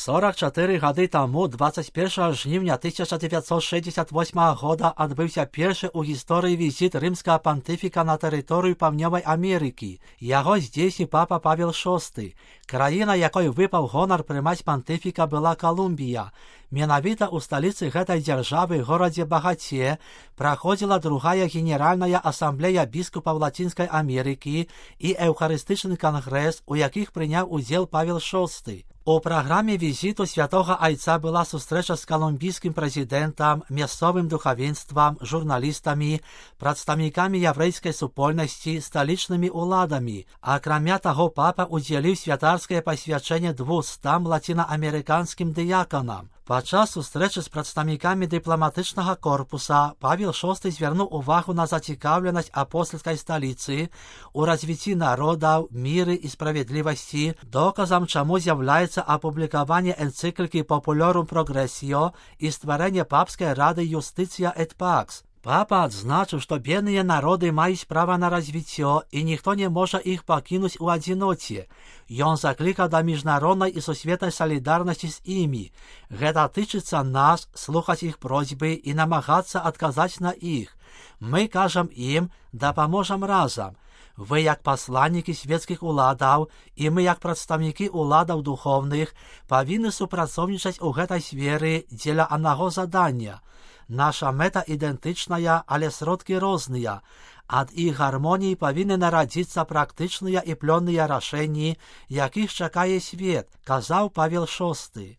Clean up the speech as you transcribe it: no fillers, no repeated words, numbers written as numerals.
44 гады таму, 21 жніўня 1968 года, адбыўся першы ў гісторыі візіт рымскага пантыфіка на тэрыторыю Паўднёвай Амерыкі. Яго здзейсніў папа Павел VI. Краіна, якой выпаў гонар прымаць пантыфіка, была Калумбія. Менавіта ў сталіцы гэтай дзяржавы, горадзе Багаце, праходзіла другая генеральная асамблея біскупаў Лацінскай Амерыкі і эўхарыстычны кангрэс, у якіх прыняў удзел Павел VI. У праграме візіту святога айца была сустрэча з калумбійскім прэзідэнтам, мясцовым духавенствам, журналістамі, прадстаўнікамі яўрэйскай супольнасці, сталічнымі ўладамі. Акрамя таго, папа удзяліў святарскае пасвячэнне 200 лацінаамерыканскім дыяканам. Падчас сустрэчы з прадстаўнікамі дыпламатычнага корпуса Павел VI звярнуў увагу на зацікаўленасць апостальскай сталіцы у развіцці народаў, міры і справядлівасці. Доказам чаму з'яўляецца апублікаванне энцыклікі Populorum Progressio і стварэнне папскай рады Justitia et Pax. Папа адзначыў, што бедныя народы маюць права на развіццё, і ніхто не можа іх пакінуць у адзіноце. Ён заклікаў да міжнароднай і сусветнай салідарнасці з імі. Гэта тычыцца нас, слухаць іх просьбы і намагацца адказаць на іх. Мы кажам ім, дапаможам разам. Вы, як пасланнікі свецкіх уладаў, і мы, як прадстаўнікі уладаў духоўных, павінны супрацоўнічаць у гэтай сферы дзеля аднаго задання. Наша мэта ідэнтычная, але сродкі розныя. Ад іх гармоніі павінны нарадзіцца практычныя і плённыя рашэнні, якіх чакае свет, казаў Павел VI.